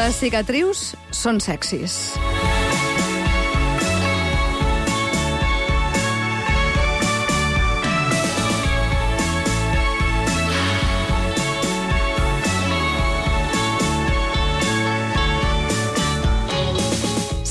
Les cicatrius són sexis.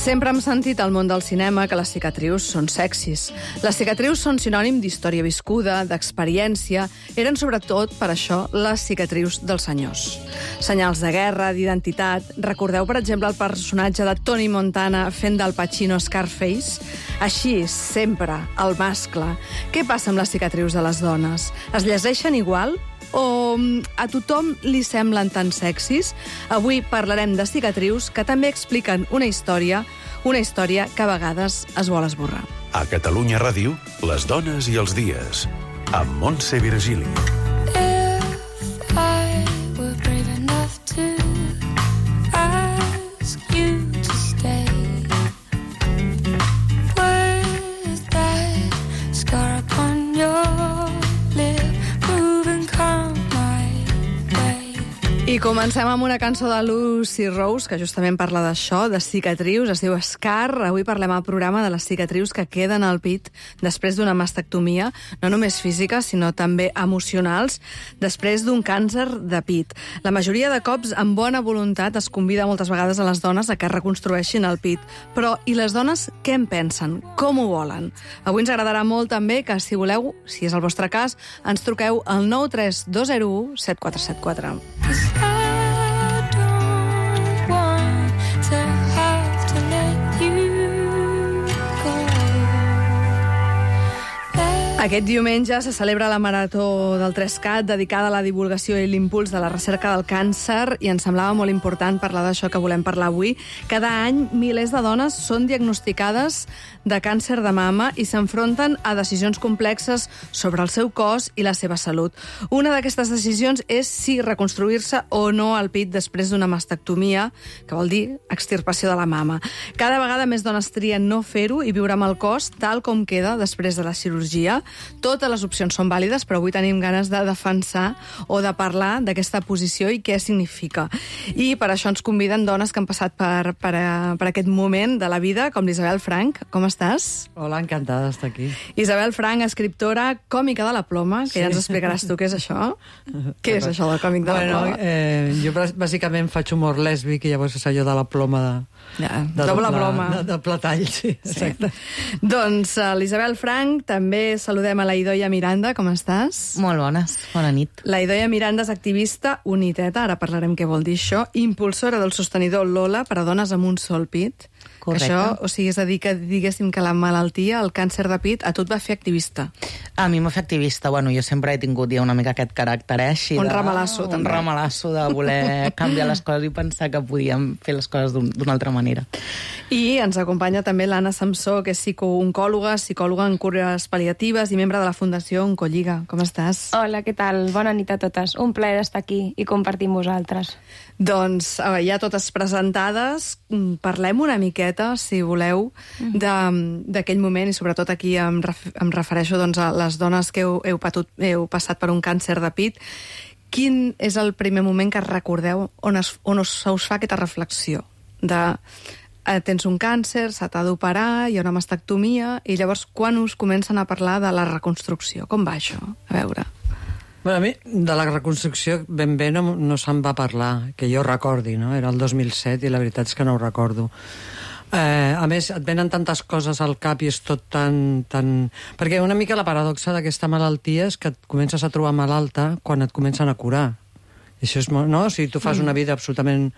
Sempre hem sentit al món del cinema que les cicatrius són sexis. Les cicatrius són sinònim d'història viscuda, d'experiència. Eren sobretot, per això, les cicatrius dels senyors. Senyals de guerra, d'identitat. Recordeu, per exemple, el personatge de Tony Montana fent del Pacino Scarface? Així, sempre, el mascle. Què passa amb les cicatrius de les dones? Es llegeixen igual? O a tothom li semblen tan sexis? Avui parlarem de cicatrius que també expliquen una història que a vegades es vol esborrar. A Catalunya Ràdio, les dones i els dies, amb Montse Virgili. If I were brave enough to ask you to stay, with that scar upon your lip, moving calm my way. I comencem amb una cançó de Lucy Rose, que justament parla d'això, de cicatrius, es diu Scar. Avui parlem al programa de les cicatrius que queden al pit després d'una mastectomia, no només físiques, sinó també emocionals, després d'un càncer de pit. La majoria de cops, amb bona voluntat, es convida moltes vegades a les dones a que reconstrueixin el pit. Però, i les dones, què en pensen? Com ho volen? Avui ens agradarà molt també que, si voleu, si és el vostre cas, ens truqueu al 93201 7474. I don't want to have to let you go. Aquest diumenge se celebra la Marató del 3CAT dedicada a la divulgació i l'impuls de la recerca del càncer i ens semblava molt important parlar d'això que volem parlar avui. Cada any, milers de dones són diagnosticades de càncer de mama i s'enfronten a decisions complexes sobre el seu cos i la seva salut. Una d'aquestes decisions és si reconstruir-se o no el pit després d'una mastectomia, que vol dir extirpació de la mama. Cada vegada més dones trien no fer-ho i viure amb el cos tal com queda després de la cirurgia. Totes les opcions són vàlides, però avui tenim ganes de defensar o de parlar d'aquesta posició i què significa. I per això ens conviden dones que han passat per aquest moment de la vida, com l'Isabel Frank. Com estàs? Hola, encantada d'estar aquí. Isabel Frank, escriptora còmica de la ploma, que ja ens explicaràs tu què és això. Què és això del còmic de la ploma? Jo bàsicament faig humor lèsbic i llavors és allò de la ploma de doble ploma. De platall, sí, exacte. Doncs l'Isabel Frank, també saludem a la Idoia Miranda, com estàs? Molt bones, bona nit. La Idoia Miranda és activista uniteta, ara parlarem què vol dir això, impulsora del sostenidor Lola per a dones amb un sol pit. Correcte. Això, o sigui, és a dir que diguéssim que la malaltia, el càncer de pit, a tu et va fer activista. A mi m'ha fet activista. Bueno, jo sempre he tingut ja una mica aquest caràcter així. Un ramalasso, també. Un ramalasso de voler canviar les coses i pensar que podíem fer les coses d'una altra manera. I ens acompanya també l'Anna Samsó, que és psicooncòloga en cures pal·liatives i membre de la Fundació Oncolliga. Com estàs? Hola, què tal? Bona nit a totes. Un plaer estar aquí i compartir amb vosaltres. Doncs ja totes presentades, parlem una miqueta, si voleu, d'aquell moment, i sobretot aquí em refereixo doncs, a les dones que heu passat per un càncer de pit. Quin és el primer moment que recordeu on us fa aquesta reflexió de tens un càncer, se t'ha d'operar, hi ha una mastectomia, i llavors quan us comencen a parlar de la reconstrucció? Com va això? A veure... Bueno, a mi, de la reconstrucció ben bé no se'n va parlar, que jo recordi, no? Era el 2007 i la veritat és que no ho recordo. A més, et venen tantes coses al cap i és tot tan... Perquè una mica la paradoxa d'aquesta malaltia és que et comences a trobar malalta quan et comencen a curar. I això és molt... No? O sigui, tu fas una vida absolutament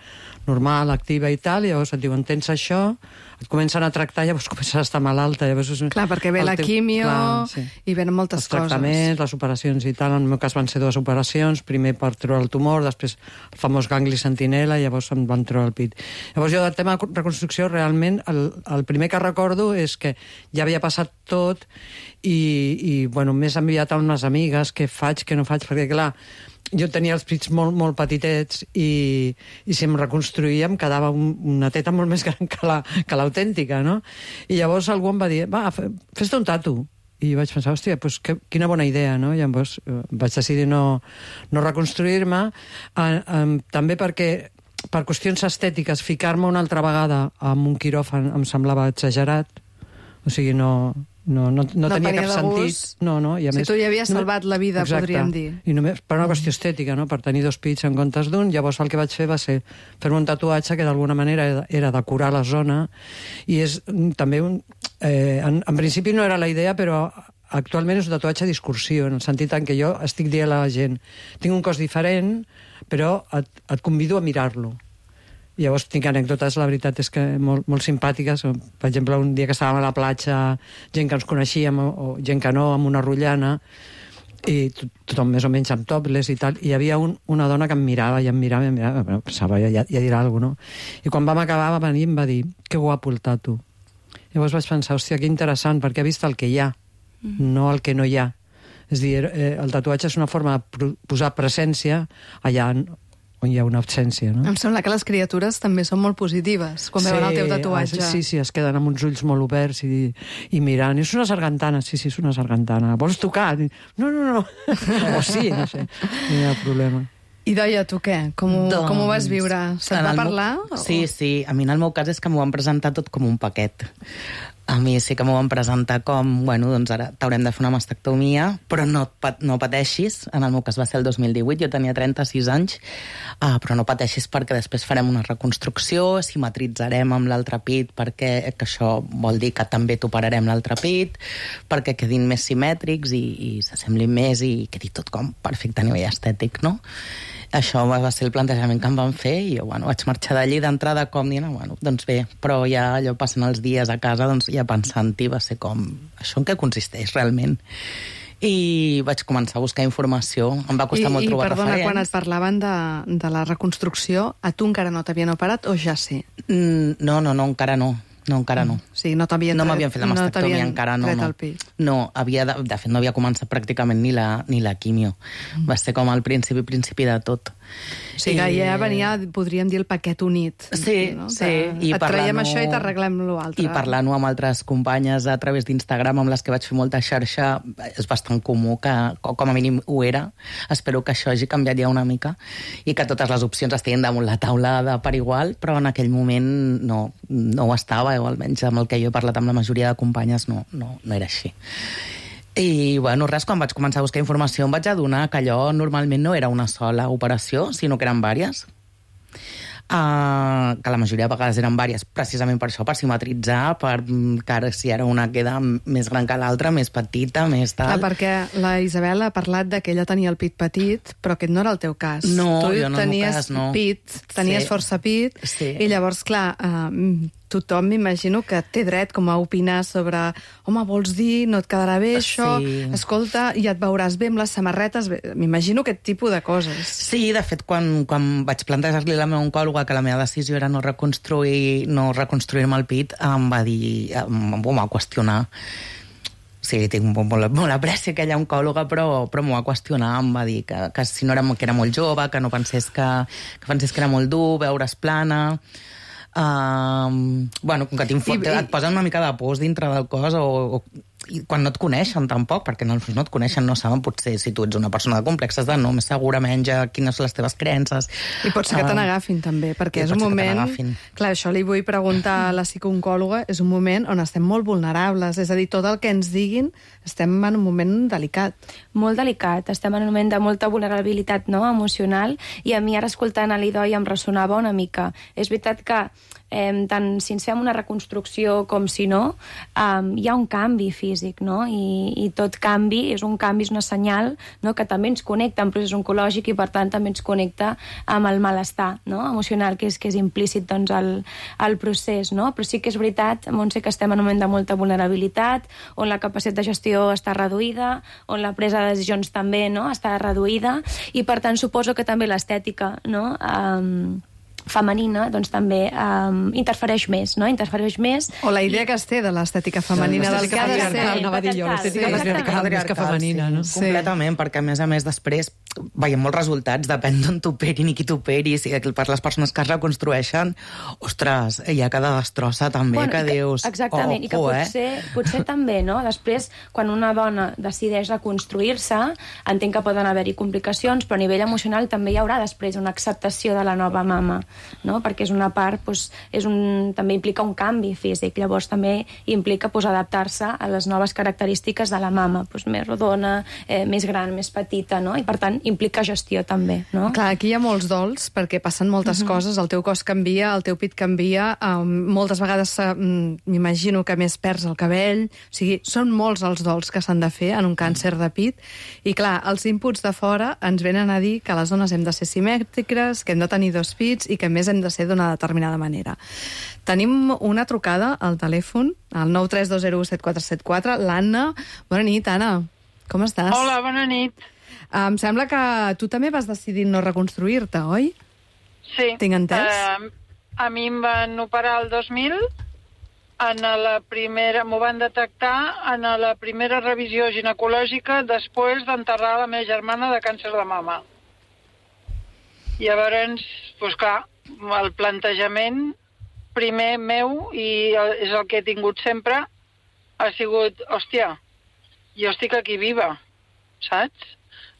normal, activa i tal, i llavors et diuen, tens això, et comencen a tractar, llavors comences a estar malalta. Llavors és... Clar, perquè ve la quimio i venen moltes coses. Els tractaments, les operacions i tal. En el meu cas van ser 2 operacions, primer per treure el tumor, després el famós gangli sentinel·la, i llavors em van treure el pit. Llavors jo del tema de reconstrucció realment el primer que recordo és que ja havia passat tot i bueno, m'he enviat a unes amigues què faig, què no faig, perquè clar, jo tenia els pits molt, molt petitets i si em reconstruïa em quedava una teta molt més gran que l'autèntica, no? I llavors algú em va dir, va, fes-te un tatu. I vaig pensar, hòstia, doncs quina bona idea, no? I llavors vaig decidir no reconstruir-me, també perquè per qüestions estètiques, ficar-me una altra vegada amb un quiròfan em semblava exagerat. O sigui, no tenia cap sentit. No, i a més, tu ja havies salvat la vida, podríem dir. I només per una qüestió estètica, no? Per tenir 2 pits en comptes d'un. Llavors el que vaig fer va ser fer-me un tatuatge que d'alguna manera era decorar la zona, i és també en principi no era la idea, però actualment és un tatuatge discursiu, en el sentit en què jo estic dient a la gent tinc un cos diferent, però et convido a mirar-lo. Llavors tinc anècdotes, la veritat és que molt simpàtiques. Per exemple, un dia que estàvem a la platja, gent que ens coneixíem o gent que no, amb una rotllana, i tothom més o menys amb topless i tal, i hi havia una dona que em mirava, però pensava, ja dirà alguna cosa, no? I quan vam acabar va venir i em va dir que guapo el tatu. Llavors vaig pensar, hòstia, que interessant, perquè ha vist el que hi ha, no el que no hi ha. És a dir, el tatuatge és una forma de posar presència allà on hi ha una absència, no? Em sembla que les criatures també són molt positives quan veuen el teu tatuatge. Sí, es queden amb uns ulls molt oberts i mirant. És una sargantana, sí, és una sargantana. Vols tocar? No. O sí, no sé. No hi ha problema. I Doia, tu què? Com ho vas viure? Se't va parlar? Sí. A mi en el meu cas és que m'ho van presentar tot com un paquet. A mi sí que m'ho van presentar com, bueno, doncs ara t'haurem de fer una mastectomia, però no pateixis. En el meu cas va ser el 2018, jo tenia 36 anys, però no pateixis perquè després farem una reconstrucció, simetritzarem amb l'altre pit, perquè que això vol dir que també t'operarem l'altre pit, perquè quedin més simètrics i s'assemblin més i quedi tot com perfecte a nivell estètic, no? Això va ser el plantejament que em van fer i jo, vaig marxar d'allí d'entrada com dient, doncs bé, però ja allò passant els dies a casa, doncs ja pensant-hi va ser com, això en què consisteix realment? I vaig començar a buscar informació, em va costar molt trobar referents. I perdona, quan et parlaven de la reconstrucció, a tu encara no t'havien operat o ja sí? No, encara no. No, encara no. Sí, no m'havien fet la mastectomia, encara no. No, de fet no havia començat pràcticament ni la quimio. Va ser com al principi de tot. O sigui, ja venia, podríem dir, el paquet unit. Sí, no? sí. Et traiem això i t'arreglem l'altre. I parlant-ho amb altres companyes a través d'Instagram, amb les que vaig fer molta xarxa, és bastant comú que, com a mínim ho era, espero que això hagi canviat ja una mica i que totes les opcions estiguin damunt la taula de per igual, però en aquell moment no ho estava, o almenys amb el que jo he parlat amb la majoria de companyes no era així. I, res, quan vaig començar a buscar informació em vaig adonar que allò normalment no era una sola operació, sinó que eren vàries. Que la majoria de vegades eren vàries, precisament per això, per simetritzar, que si ara una queda més gran que l'altra, més petita, més tal... perquè la Isabel ha parlat que ella tenia el pit petit, però aquest no era el teu cas. No, tu jo no, en el meu cas, no. Tenies força pit, i llavors, clar... tothom m'imagino que té dret com a opinar sobre home, vols dir, no et quedarà bé això, escolta, i et veuràs bé amb les samarretes, m'imagino aquest tipus de coses. Sí, de fet, quan vaig plantejar-li a la meva oncòloga que la meva decisió era no reconstruir-me el pit, em va dir, em va qüestionar. Sí, tinc molt apreci aquella oncòloga, però m'ho va qüestionar, em va dir que si no era, que era molt jove, que no pensés que era molt dur, veure's plana... com que et posen una mica de pors dintre del cos i quan no et coneixen tampoc, perquè no et coneixen, no saben potser si tu ets una persona de complexes de no, més segura menja, quines són les teves creences. I pot ser que te n'agafin també, perquè és un moment... Clar, això li vull preguntar a la psicooncòloga, és un moment on estem molt vulnerables, és a dir, tot el que ens diguin estem en un moment delicat. Molt delicat, estem en un moment de molta vulnerabilitat emocional, i a mi ara escoltant a l'Idoi em ressonava una mica. És veritat que tant si ens fem una reconstrucció com si no, hi ha un canvi físic, no? I tot canvi és un canvi, és una senyal, no? Que també ens connecta amb procés oncològic i per tant també ens connecta amb el malestar, no? Emocional, que és implícit doncs, al procés, no? Però sí que és veritat, Montse, que estem en un moment de molta vulnerabilitat, on la capacitat de gestió està reduïda, on la presa de decisions també està reduïda, i per tant suposo que també l'estètica, no? Femenina, doncs també interfereix més, no? Interfereix més... O la idea que es té de l'estètica femenina, del que ha de ser... Anava a dir jo, l'estètica patriarcal més que femenina, no? Completament, perquè a més després veiem molts resultats, depèn d'on t'operin i qui t'operi, si per les persones que es reconstrueixen, ostres, hi ha cada destrossa també, que dius... Exactament, i que potser també, no? Després, quan una dona decideix reconstruir-se, entenc que poden haver-hi complicacions, però a nivell emocional també hi haurà després una acceptació de la nova mama, no? Perquè és una part, també implica un canvi físic, llavors també implica adaptar-se a les noves característiques de la mama, més rodona, més gran, més petita, no? I per tant implica gestió també, no? Clar, aquí hi ha molts dols, perquè passen moltes coses, el teu cos canvia, el teu pit canvia, moltes vegades m'imagino que més perds el cabell, o sigui, són molts els dols que s'han de fer en un càncer de pit, i clar, els inputs de fora ens venen a dir que les dones hem de ser simètriques, que hem de tenir 2 pits i que a més hem de ser d'una determinada manera. Tenim una trucada al telèfon, al 932017474, l'Anna. Bona nit, Anna. Com estàs? Hola, bona nit. Em sembla que tu també vas decidir no reconstruir-te, oi? Sí. Tinc entès? A mi em van operar el 2000, m'ho van detectar en la primera revisió ginecològica després d'enterrar la meva germana de càncer de mama. Llavors, doncs clar, el plantejament primer meu, i és el que he tingut sempre, ha sigut, hòstia, jo estic aquí viva, saps?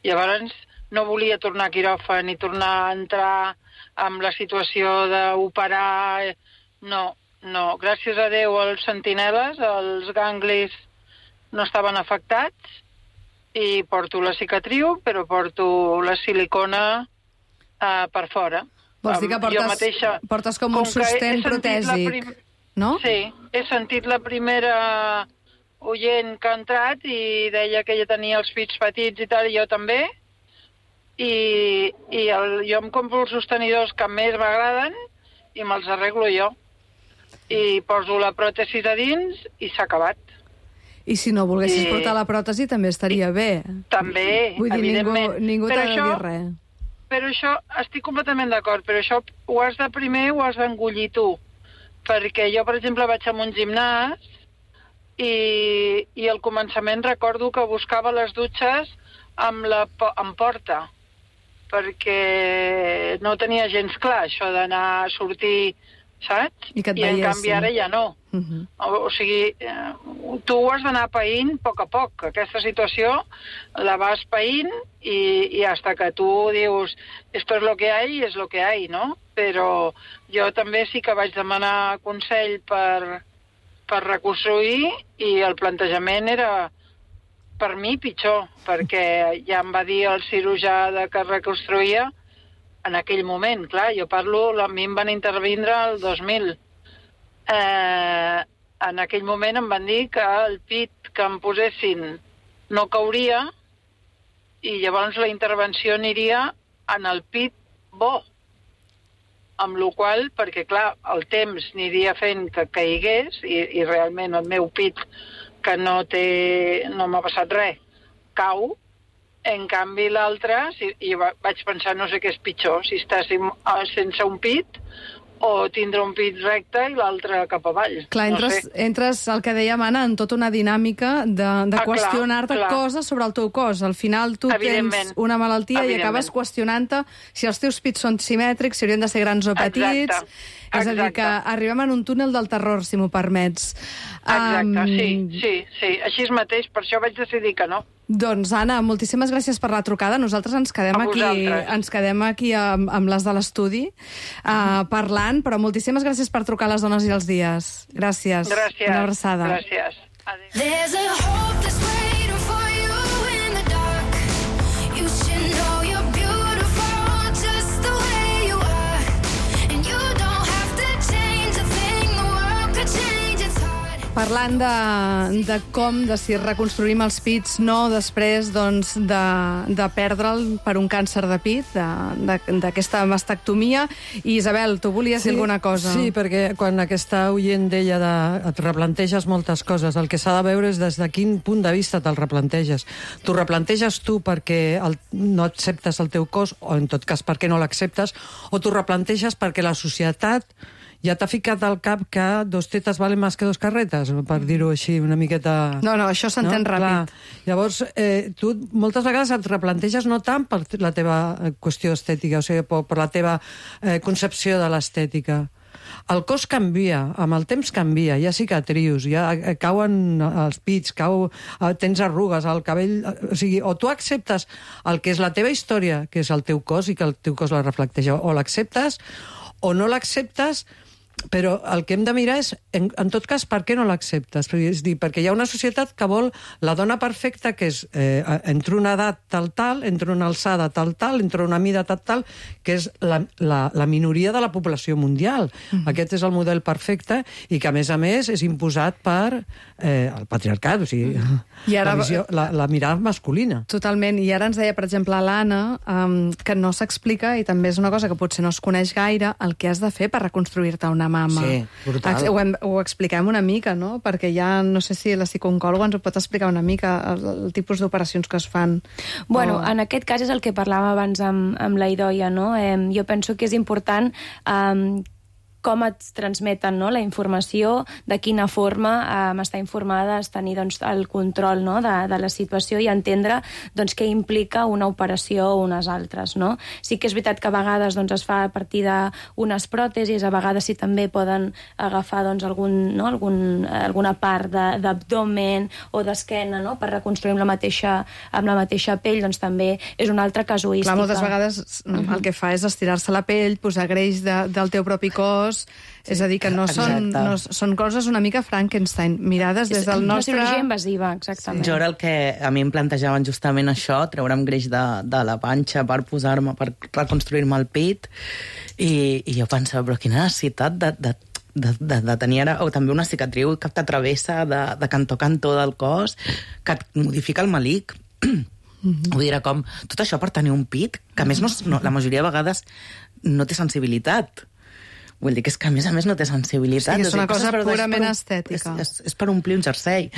Llavors no volia tornar a quiròfan ni tornar a entrar en la situació d'operar. No, gràcies a Déu els sentineles, els ganglis no estaven afectats i porto la cicatriu, però porto la silicona per fora. Vols dir que portes com un sostén protèsic, no? Sí, he sentit la primera oient que ha entrat i deia que ella tenia els pits petits i tal, i jo també, jo em compro els sostenidors que més m'agraden i me'ls arreglo jo. I poso la pròtesi a dins i s'ha acabat. I si no volguessis portar la pròtesi també estaria bé. També, vull dir, evidentment. Ningú t'ha de dir res. Però això, estic completament d'acord, però això ho has de primer ho has d'engollir tu. Perquè jo, per exemple, vaig a un gimnàs i al començament recordo que buscava les dutxes amb porta, perquè no tenia gens clar això d'anar a sortir, saps? I en canvi ara ja no. O sigui, tu ho has d'anar païnt a poc. Aquesta situació la vas païnt i hasta que tu dius esto es lo que hay, es lo que hay, no? Però jo també sí que vaig demanar consell per reconstruir i el plantejament era per mi pitjor, perquè ja em va dir el cirurgià que reconstruïa en aquell moment, clar, jo parlo, a mi em van intervindre el 2000. En aquell moment em van dir que el pit que em posessin no cauria i llavors la intervenció aniria en el pit bo. Amb la qual cosa, perquè clar, el temps aniria fent que caigués i realment el meu pit, que no m'ha passat res, cau. En canvi l'altre, i vaig pensar, no sé què és pitjor, si estàs sense un pit o tindre un pit recte i l'altre cap avall. Clar, entres el que dèiem, Anna, en tota una dinàmica de qüestionar-te coses sobre el teu cos. Al final tu tens una malaltia i acabes qüestionant-te si els teus pits són simètrics, si haurien de ser grans o petits. És a dir, que arribem en un túnel del terror, si m'ho permets. Exacte, sí. Així mateix, per això vaig decidir que no. Doncs, Anna, moltíssimes gràcies per la trucada. Nosaltres ens quedem aquí amb les de l'estudi parlant, però moltíssimes gràcies per trucar a les dones i els dies. Gràcies. Una abraçada. Gràcies. Adéu. There's a hope that's waiting for you in the dark. You should know you're beautiful just the way you are. And you don't have to change a thing, the world could change its heart. Parlant de com, de si reconstruïm els pits, no després de perdre'l per un càncer de pit, d'aquesta mastectomia. I Isabel, tu volies dir alguna cosa? Sí, perquè quan aquesta oient deia et replanteges moltes coses, el que s'ha de veure és des de quin punt de vista te'l replanteges. T'ho replanteges tu perquè no acceptes el teu cos, o en tot cas perquè no l'acceptes, o t'ho replanteges perquè la societat ja t'ha ficat al cap que 2 tetes valen més que 2 carretes, per dir-ho així una miqueta... No, això s'entén ràpid. Clar. Llavors, tu moltes vegades et replanteges no tant per la teva qüestió estètica, o sigui, per la teva concepció de l'estètica. El cos canvia, amb el temps canvia, hi ha cicatrius, ja cauen els pits, tens arrugues al cabell... O sigui, o tu acceptes el que és la teva història, que és el teu cos i que el teu cos la reflecteix, o l'acceptes o no l'acceptes, però el que hem de mirar és, en tot cas, per què no l'acceptes? És dir, perquè hi ha una societat que vol la dona perfecta, que és entre una edat tal, entre una alçada tal, entre una mida tal, que és la minoria de la població mundial. Aquest és el model perfecte i que, a més, és imposat per el patriarcat, o sigui, I ara... la mirada masculina. Totalment, i ara ens deia, per exemple, l'Anna, que no s'explica, i també és una cosa que potser no es coneix gaire, el que has de fer per reconstruir-te una mama. Sí, brutal. Ho expliquem una mica, no? Perquè ja, no sé si la psicooncòloga ens ho pot explicar una mica, el tipus d'operacions que es fan. Bueno, en aquest cas és el que parlàvem abans amb la Idoia, no? Jo penso que és important com et transmeten, no?, la informació, de quina forma està informada, tenir doncs, el control, no?, de la situació i entendre doncs, què implica una operació o unes altres. No? Sí que és veritat que a vegades doncs, es fa a partir d'unes pròtesis, a vegades sí també poden agafar doncs, alguna part d'abdomen o d'esquena, no?, per reconstruir amb la mateixa pell, doncs també és una altra casuística. Clar, moltes vegades el que fa és estirar-se la pell, posar greix del teu propi cos. Sí, és a dir, que són coses una mica Frankenstein, mirades des del nostre... Una cirurgia invasiva, exactament. Jo era el que a mi em plantejaven justament això, treure'm greix de la panxa per posar-me, per reconstruir-me el pit, i jo pensava, però quina necessitat de tenir ara, o també una cicatriu que t'atravessa de cantó a cantó del cos, que et modifica el melic. Vull dir, com tot això per tenir un pit, que a més la majoria de vegades no té sensibilitat. Vull dir que és que a més no té sensibilitat. Sí, és una cosa purament estètica. És per omplir un jersei.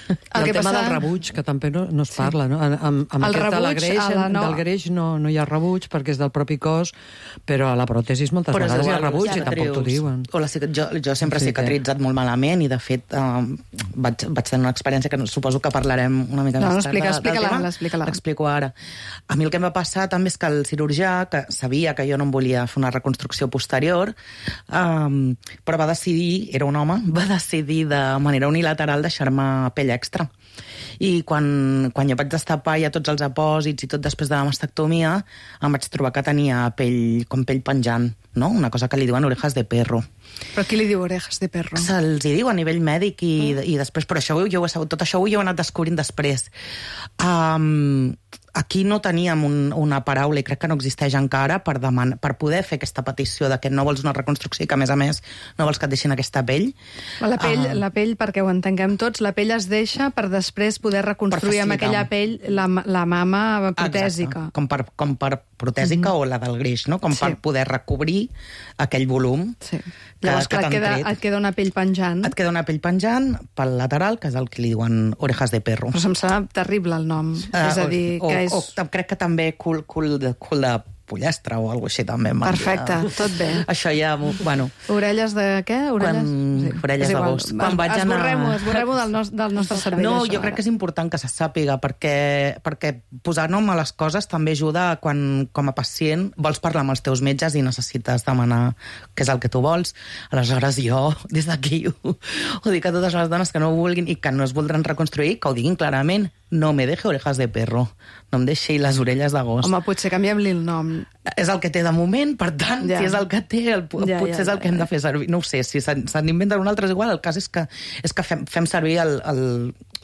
El tema del rebuig, que també no es parla, no? Amb aquest del greix no hi ha rebuig perquè és del propi cos, però a la pròtesi moltes vegades hi ha rebuig i tampoc t'ho diuen. Jo sempre he cicatritzat molt malament i, de fet, vaig tenir una experiència que suposo que parlarem una mica més tard. Explica-la. L'explico ara. A mi el que em va passar també és que el cirurgià, que sabia que jo no em volia fer una reconstrucció posterior, però va decidir, era un home, va decidir de manera unilateral deixar-me pell extra. I quan jo vaig destapar ja tots els apòsits i tot després de la mastectomia, em vaig trobar que tenia com pell penjant, no? Una cosa que li diuen orejas de perro. Però qui li diu orejas de perro? Se'ls diu a nivell mèdic i després, però això jo ho he sabut, tot això ho he anat descobrint després. Aquí no teníem una paraula, i crec que no existeix encara, per poder fer aquesta petició de que no vols una reconstrucció i que, a més, no vols que et deixin aquesta pell. La pell, perquè ho entenguem tots, la pell es deixa per després poder reconstruir amb aquella pell la mama protèsica. Exacte. Com per protèsica o la del greix, no? Per poder recobrir aquell volum. Sí. Llavors, et queda una pell penjant. Et queda una pell penjant pel lateral, que és el que li diuen orejas de perro. Però em sembla terrible el nom. És a dir, que és... O crec que també cul de pollastre o alguna cosa així també. Perfecte, tot bé. Això ja, bueno... Orelles de què? Orelles de gos. Esborrem-ho del nostre cervell. No, jo crec que és important que se sàpiga, perquè posar nom a les coses també ajuda quan, com a pacient, vols parlar amb els teus metges i necessites demanar què és el que tu vols. Aleshores jo, des d'aquí, ho dic a totes les dones que no ho vulguin i que no es voldran reconstruir, que ho diguin clarament. No me deje orejas de perro. No em deixi les orelles de gos. Home, potser canviem-li el nom. És el que té de moment, per tant, si és el que té, potser és el que hem de fer servir. No ho sé, si se n'inventen un altre és igual. El cas és que fem servir o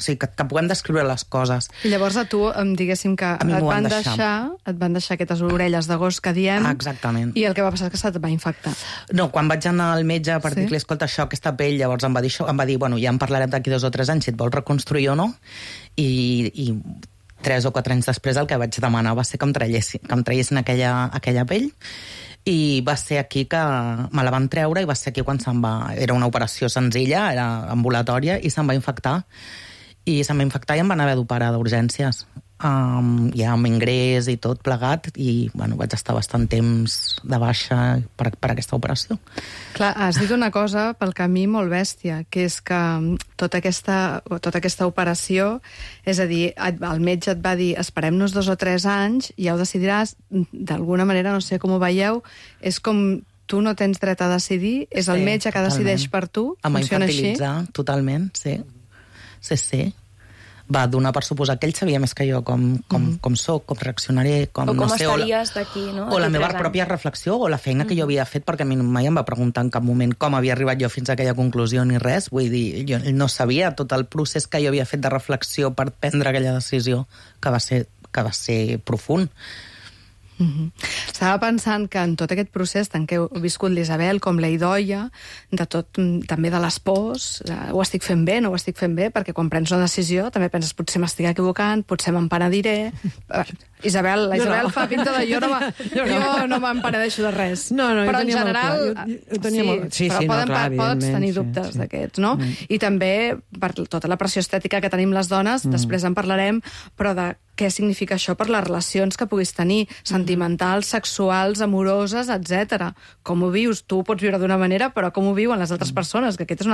sigui, que puguem descriure les coses. I llavors a tu, diguéssim que et van deixar aquestes orelles de gos que diem. Exactament. I el que va passar és que se't va infectar. No, quan vaig anar al metge per dir-li, escolta, això, aquesta pell, llavors em va dir, bueno, ja en parlarem d'aquí 2 o 3 anys si et vols reconstruir o no, i 3 o 4 anys després el que vaig demanar va ser que em traiessin aquella pell, i va ser aquí que me la van treure i va ser aquí quan era una operació senzilla, era ambulatòria, i se'm va infectar i em van haver d'operar d'urgències. ja amb ingrés i tot plegat, i bueno, vaig estar bastant temps de baixa per aquesta operació. Clar, has dit una cosa pel camí molt bèstia, que és que tota aquesta operació, és a dir, el metge et va dir esperem-nos 2 o 3 anys, ja ho decidiràs, d'alguna manera, no sé com ho veieu, és com tu no tens dret a decidir, és el metge que decideix per tu, funciona així? Totalment, sí. Sí. Va donar per suposar que ell sabia més que jo com soc, com reaccionaré, com o com no sé, estaries d'aquí, no? o la meva pròpia reflexió, o la feina que jo havia fet, perquè a mi mai em va preguntar en cap moment com havia arribat jo fins a aquella conclusió ni res. Vull dir, jo no sabia tot el procés que jo havia fet de reflexió per prendre aquella decisió, que va ser profund. Estava pensant que en tot aquest procés tant que heu viscut l'Isabel com la Idoia, de tot, també de les pors, ho estic fent bé, no ho estic fent bé, perquè quan prens una decisió també penses potser m'estic equivocant, potser me'n penediré. La Isabel fa pinta de jo no me'n penedeixo de res. Però en general pots tenir dubtes d'aquests, no? I també per tota la pressió estètica que tenim les dones, després en parlarem, però de què significa això per les relacions que puguis tenir, sentimentals, sexuals, amoroses, etc. Com ho vius? Tu ho pots viure d'una manera, però com ho viuen les altres persones? Que aquest és un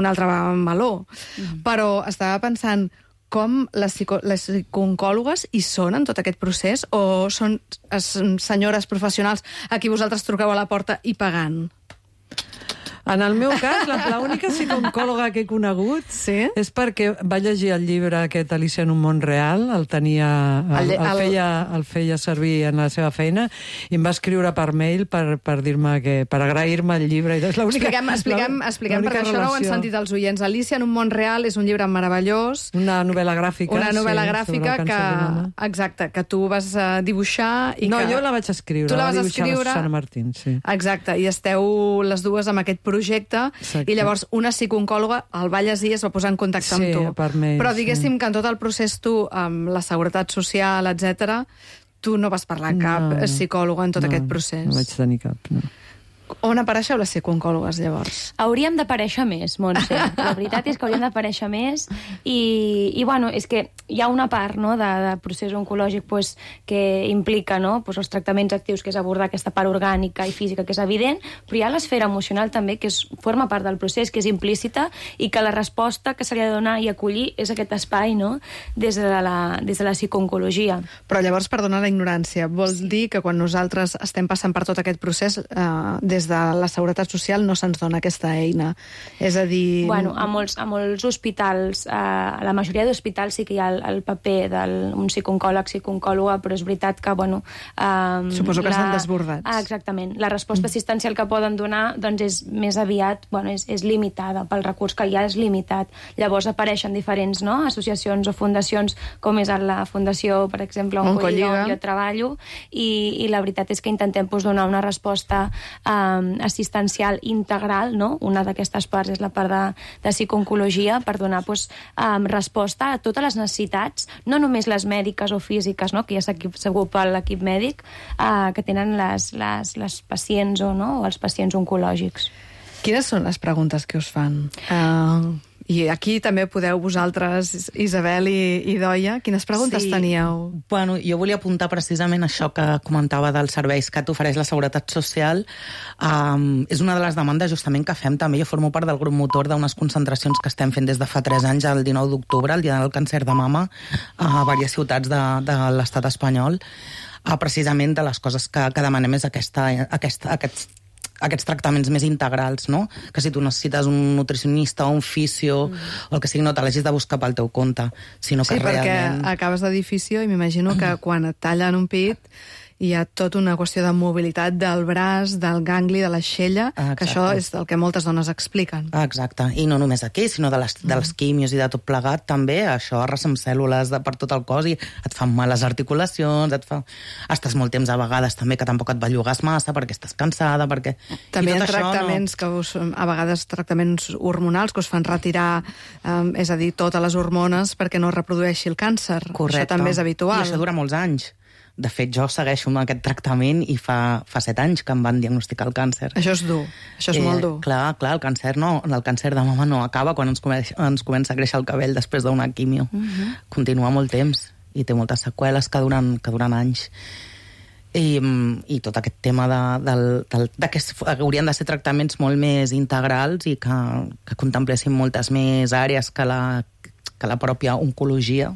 altre meló. Però estava pensant com les psicooncòlogues hi són en tot aquest procés, o són senyores professionals a qui vosaltres truqueu a la porta i pagant? En el meu cas, l'única psicooncòloga que he conegut és perquè va llegir el llibre aquest Alicia en un món real, el feia servir en la seva feina, i em va escriure per mail per dir-me per agrair-me el llibre. Expliquem, perquè això no ho han sentit els oients. Alicia en un món real és un llibre meravellós. Una novel·la gràfica. Una novel·la gràfica que tu vas dibuixar. No, jo la vaig escriure. Tu la vas escriure? La Susana Martín, sí. Exacte, i esteu les dues amb aquest projecte, i llavors una psicooncòloga el va llegir i es va posar en contacte amb tu. Però diguéssim que en tot el procés tu, amb la seguretat social, etc., tu no vas parlar amb cap psicòloga en tot aquest procés. No vaig tenir cap, no. On apareixeu les psicooncòlogues, llavors? Hauríem d'aparèixer més, Montse. La veritat és que hauríem d'aparèixer més i bueno, és que hi ha una part, no, de procés oncològic pues, que implica, no, pues, els tractaments actius, que és abordar aquesta part orgànica i física, que és evident, però hi ha l'esfera emocional també, que forma part del procés, que és implícita, i que la resposta que se li ha de donar i acollir és aquest espai, no?, des de la psicooncologia. Però llavors, perdona la ignorància, vol dir que quan nosaltres estem passant per tot aquest procés, des de la Seguretat Social no se'ns dona aquesta eina. És a dir... Bueno, a molts hospitals, a la majoria d'hospitals sí que hi ha el paper d'un psicooncòleg, psicooncòloga, però és veritat que, bueno... Suposo que estan desbordats. Exactament. La resposta assistencial que poden donar doncs és més aviat, bueno, és limitada, pel recurs que ja és limitat. Llavors apareixen diferents, no?, associacions o fundacions, com és la Fundació, per exemple, Oncolliga, on jo treballo, i la veritat és que intentem donar una resposta assistencial integral, no? Una d'aquestes parts és la part de psicooncologia, per donar resposta a totes les necessitats, no només les mèdiques o físiques, no?, que ja s'ocupa l'equip mèdic, que tenen les pacients o els pacients oncològics. Quines són les preguntes que us fan? I aquí també podeu vosaltres, Isabel i Idoia, quines preguntes teníeu? Bueno, jo volia apuntar precisament això que comentava dels serveis que t'ofereix la Seguretat Social. És una de les demandes justament que fem també. Jo formo part del grup motor d'unes concentracions que estem fent des de fa 3 anys, el 19 d'octubre, el dia del càncer de mama, a diverses ciutats de l'estat espanyol. Precisament de les coses que demanem és aquests tractaments més integrals, no? Que si tu necessites un nutricionista o un fisio o el que sigui, no te l'hagis de buscar pel teu compte, sinó que realment... perquè acabes de dir fisio i m'imagino que quan et tallen un pit hi ha tota una qüestió de mobilitat del braç, del gangli, de l'aixella, que això és el que moltes dones expliquen. Exacte, i no només aquí, sinó de les quimios i de tot plegat, també, això arrasa amb cèl·lules per tot el cos i et fan mal les articulacions, estàs molt temps a vegades també que tampoc et bellugues massa perquè estàs cansada, perquè... També hi ha tractaments a vegades tractaments hormonals que us fan retirar, és a dir, totes les hormones perquè no reprodueixi el càncer. Correcte. Això també és habitual. I això dura molts anys. De fet, jo segueixo amb aquest tractament i fa 7 anys que em van diagnosticar el càncer. Això és dur, això és molt dur. Clar, el càncer de mama no acaba quan ens comença a créixer el cabell després d'una quimio. Continua molt temps. i té moltes seqüeles que duren anys. I tot aquest tema de que haurien de ser tractaments molt més integrals i que contemplessin moltes més àrees que la pròpia oncologia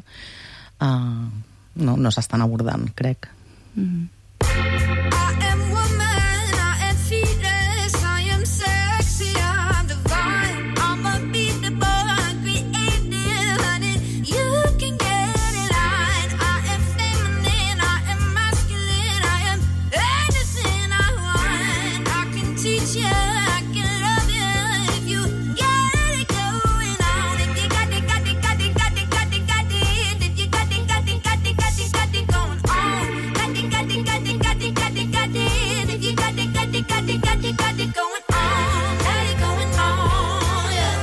no s'estan abordant, crec. I am woman, I am fearless, I am sexy, I'm divine, I'm unbeatable, I'm creative, honey, you can get in line. I am feminine, I am masculine, I am anything I want. I can teach you, I can love you if you get it going on. If you got it, got it, got it, got it, got it, got it, if you got it, got it, got it, got it, got it going on. Got it, got it, got it, got it, got it, got it, if you got it, got it, got it, got it, got it going on. Got it going on, yeah.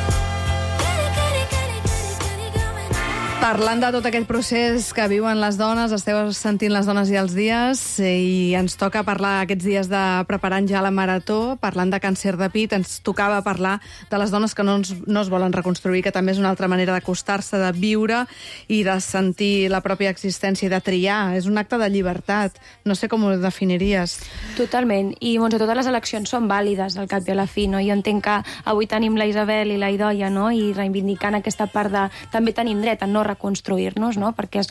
Got it, got it, got it, got it, got it going on. Parlant de tot aquest procés que viuen les dones, esteu sentint les dones i els dies, i ens toca parlar aquests dies de preparant ja la marató, parlant de càncer de pit, ens tocava parlar de les dones que no es volen reconstruir, que també és una altra manera d'acostar-se, de viure i de sentir la pròpia existència i de triar. És un acte de llibertat. No sé com ho definiries. Totalment. I, Montse, totes les eleccions són vàlides, al cap i a la fi, no? Jo entenc que avui tenim la Isabel i la Idoia, no? I reivindicant aquesta part de... També tenim dret a no reconstruir-nos, no? Perquè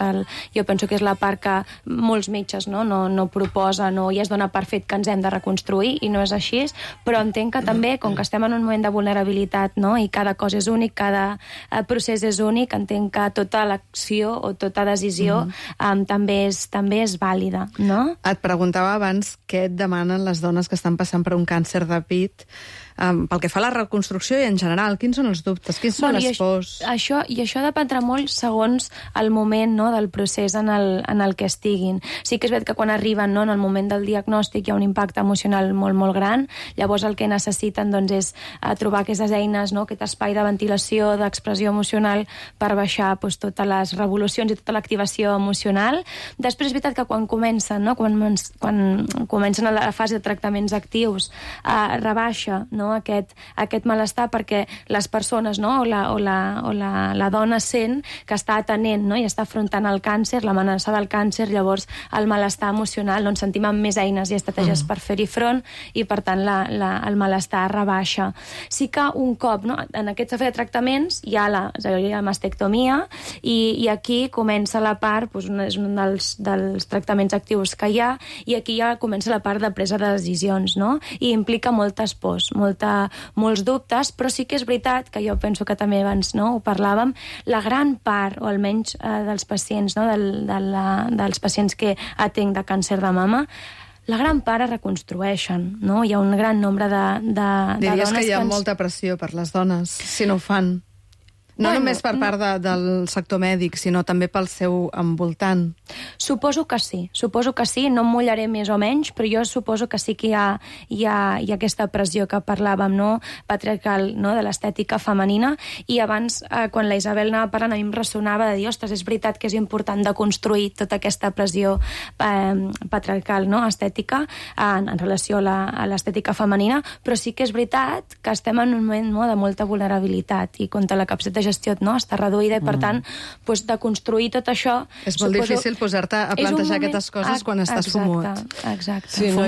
jo penso que és la part que molts metges no proposen i es dona per fet que ens hem de reconstruir, i no és així, però entenc que també, com que estem en un moment de vulnerabilitat, no? I cada cosa és únic, cada procés és únic, entenc que tota l'acció o tota decisió també és vàlida, no? Et preguntava abans què et demanen les dones que estan passant per un càncer de pit pel que fa a la reconstrucció i en general. Quins són els dubtes? Quins són les pors? Això dependrà molt segons el moment, no, del procés en el que estiguin. Sí que és veritat que quan arriben, no, en el moment del diagnòstic hi ha un impacte emocional molt, molt gran. Llavors el que necessiten, doncs, és trobar aquestes eines, no, aquest espai de ventilació, d'expressió emocional per baixar, doncs, totes les revolucions i tota l'activació emocional. Després és veritat que quan comencen, no, quan comencen a la fase de tractaments actius, rebaixa, no, aquest malestar, perquè les persones, no, o la dona sent que està atenent, no, i està afrontant el càncer, l'amenaça del càncer, llavors el malestar emocional, no, ens sentim amb més eines i estratègies per fer-hi front, i per tant el malestar rebaixa. Sí que un cop, no, en aquesta fase de tractaments hi ha la mastectomia, i aquí comença la part, doncs, és un dels tractaments actius que hi ha, i aquí ja comença la part de presa de decisions, no? I implica moltes pors, molts dubtes, però sí que és veritat que jo penso que també abans, no, ho parlàvem, la gran part, o almenys dels pacients, no, dels pacients que atenc de càncer de mama, la gran part es reconstrueixen, no? Hi ha un gran nombre de Diries dones que hi ha molta pressió per les dones, si no ho fan. No només per part del sector mèdic, sinó també pel seu envoltant. Suposo que sí, no em mullaré més o menys, però jo suposo que sí que hi ha aquesta pressió que parlàvem, no, patriarcal, no, de l'estètica femenina, i abans, quan la Isabel anava parlant, a mi em ressonava de dir, ostres, és veritat que és important de construir tota aquesta pressió patriarcal, no, estètica, en relació a l'estètica femenina, però sí que és veritat que estem en un moment, no, de molta vulnerabilitat, i contra la capacitat de gestió, no, està reduïda, i per tant, doncs, de construir tot això... És molt difícil posar-te a plantejar aquestes coses quan estàs fumut. Exacte. Sí, no,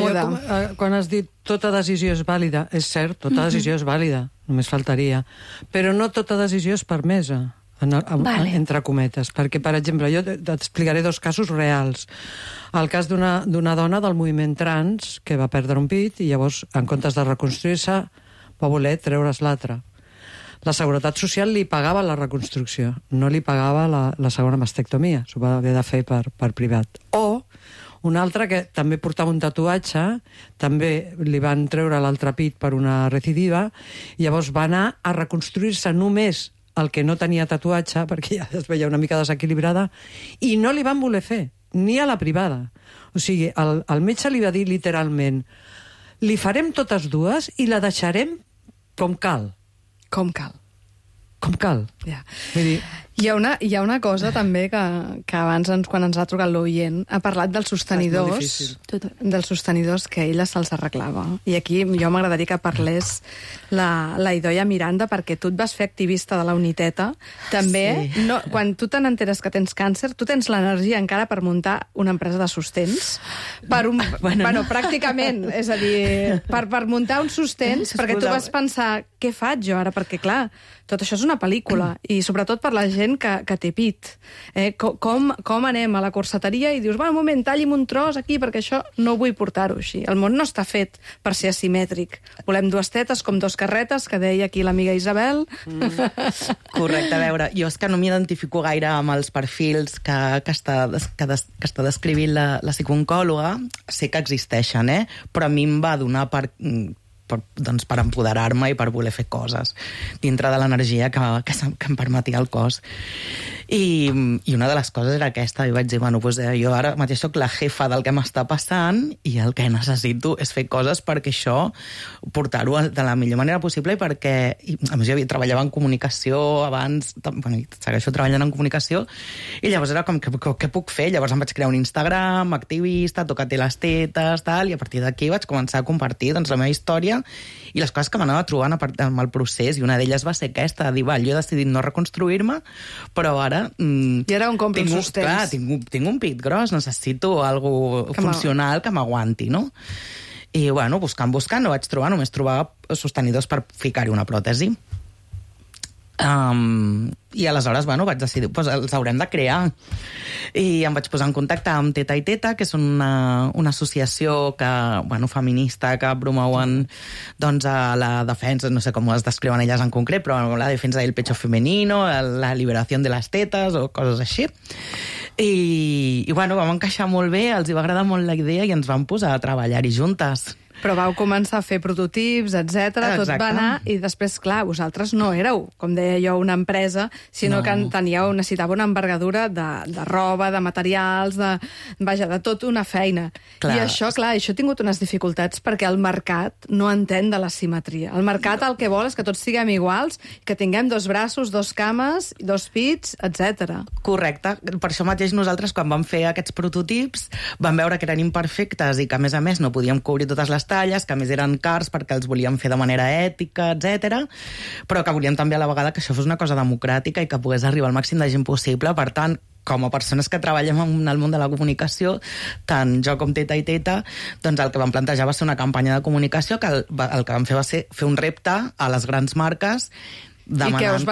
quan has dit tota decisió és vàlida, és cert, tota decisió és vàlida, només faltaria, però no tota decisió és permesa, entre cometes, perquè, per exemple, jo t'explicaré dos casos reals. El cas d'una dona del moviment trans que va perdre un pit i llavors, en comptes de reconstruir-se, va voler treure's l'altre. La Seguretat Social li pagava la reconstrucció, no li pagava la segona mastectomia, s'ho va haver de fer per privat. O un altre que també portava un tatuatge, també li van treure l'altre pit per una recidiva, i llavors va anar a reconstruir-se només el que no tenia tatuatge, perquè ja es veia una mica desequilibrada, i no li van voler fer, ni a la privada. O sigui, el metge li va dir literalment, li farem totes dues i la deixarem com cal. Com cal. Ja. Vull dir... Hi ha una cosa també que abans, quan ens ha trucat l'oient, ha parlat dels sostenidors, que ella se'ls arreglava. I aquí jo m'agradaria que parlés la Idoia Miranda, perquè tu et vas fer activista de la Uniteta. També, quan tu te n'enteres que tens càncer, tu tens l'energia encara per muntar una empresa de sostens. Bueno, pràcticament. És a dir, per muntar uns sostens, perquè tu vas pensar, què faig jo ara? Perquè, clar, tot això és una pel·lícula, i sobretot per la gent que té pit. Com anem a la corseteria i dius, un moment, talli'm un tros aquí, perquè això no vull portar-ho així. El món no està fet per ser asimètric. Volem dues tetes com dos carretes, que deia aquí l'amiga Isabel. Correcte, a veure, jo és que no m'identifico gaire amb els perfils que està descrivint la psicooncòloga. Sé que existeixen, però a mi em va donar per empoderar-me i per voler fer coses dintre de l'energia que em permetia el cos. I una de les coses era aquesta, i vaig dir, jo ara mateix soc la jefa del que m'està passant i el que necessito és fer coses perquè això, portar-ho de la millor manera possible, i perquè, a més, jo treballava en comunicació abans, segueixo treballant en comunicació, i llavors era com, què puc fer? Llavors em vaig crear un Instagram, activista, toca-te les tetes, tal, i a partir d'aquí vaig començar a compartir la meva història i les coses que m'anava trobant amb el procés, i una d'elles va ser aquesta, de dir, jo he decidit no reconstruir-me, però ara i ara on compro els sostens? Clar, tinc un pit gros, necessito algo funcional que m'aguanti, no? I, buscant, no vaig trobar, només trobava sostenidors per ficar-hi una pròtesi. I aleshores, vaig decidir, els haurem de crear. I em vaig posar en contacte amb Teta i Teta, que és una associació feminista que promouen a la defensa, no sé com es descriuen elles en concret, però la defensa del pecho femenino, la liberació de les tetes o coses així. I vam encaixar molt bé, els hi va agradar molt la idea i ens vam posar a treballar-hi juntes. Però vau començar a fer prototips, etc. Tot va anar, i després, clar, vosaltres no éreu, com deia jo, una empresa, sinó que necessitava una envergadura de roba, de materials, de tot una feina. Clar. I això ha tingut unes dificultats perquè el mercat no entén de la simetria. El mercat el que vol és que tots siguem iguals, que tinguem dos braços, dos cames, dos pits, etc. Correcte. Per això mateix nosaltres, quan vam fer aquests prototips, vam veure que eren imperfectes i que, a més, no podíem cobrir totes les talles, que a més eren cars perquè els volíem fer de manera ètica, etc. Però que volíem també a la vegada que això fos una cosa democràtica i que pogués arribar al màxim de gent possible. Per tant, com a persones que treballem en el món de la comunicació, tant jo com Teta i Teta, doncs el que vam plantejar va ser una campanya de comunicació que el que vam fer va ser fer un repte a les grans marques demanant, i que us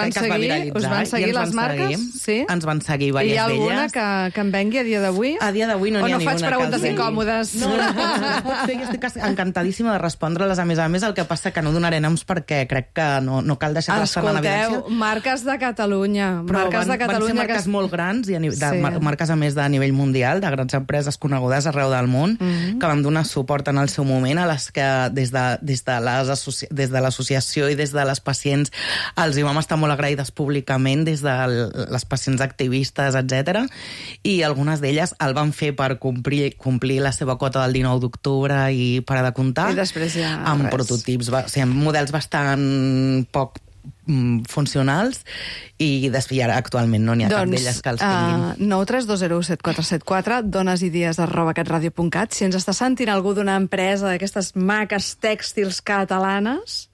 van seguir les marques? Sí? Ens van seguir diverses d'elles. Hi ha alguna que em vengui a dia d'avui? A dia d'avui no n'hi ha ninguna. O no faig preguntes incòmodes? No, jo estic encantadíssima de respondre-les. A més, el que passa que no donaré noms perquè crec que no cal deixar-les en evidència. Escolteu, marques de Catalunya. Però van ser marques molt grans, marques a més de nivell mundial, de grans empreses conegudes arreu del món, que van donar suport en el seu moment, a les que des de l'associació i des de les pacients els hi vam estar molt agraïdes públicament, des de les pacients activistes, etc. I algunes d'elles el van fer per complir la seva quota del 19 d'octubre i parar de comptar. I després ja amb prototips, amb models bastant poc funcionals, i ara actualment no n'hi ha cap d'elles que els tinguin. 932017474, donesidees@catradio.cat. Si ens està sentint algú d'una empresa d'aquestes maques tèxtils catalanes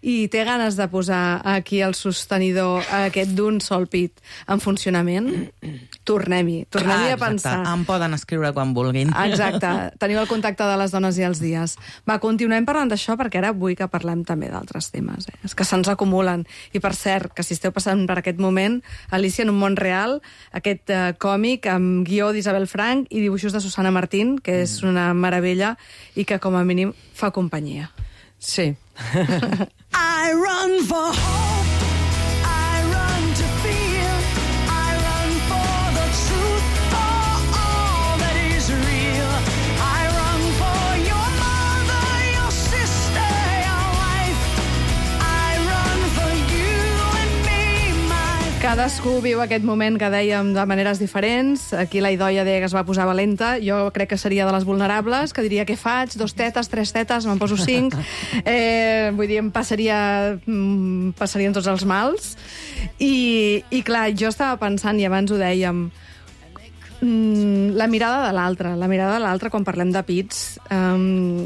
i té ganes de posar aquí el sostenidor aquest d'un sol pit en funcionament, tornem-hi a pensar. Em poden escriure quan vulguin. Exacte. Teniu el contacte de les dones i els dies. Va, continuem parlant d'això, perquè ara vull que parlem també d'altres temes. És que se'ns acumulen. I per cert, que si esteu passant per aquest moment, Alicia en un món real, aquest còmic amb guió d'Isabel Frank i dibuixos de Susana Martín, que és una meravella i que com a mínim fa companyia. Sí. I run for hope, I run to feel, I run for the truth, for all that is real. I run for your mother, your sister, your wife. I run for you and me, my... Cadascú viu aquest moment que dèiem de maneres diferents. Aquí la Idoia deia que es va posar valenta. Jo crec que seria de les vulnerables, que diria què faig? 2 tetes, 3 tetes, me'n poso 5. Vull dir, em passarien tots els mals. I clar, jo estava pensant, i abans ho dèiem, la mirada de l'altre quan parlem de pits,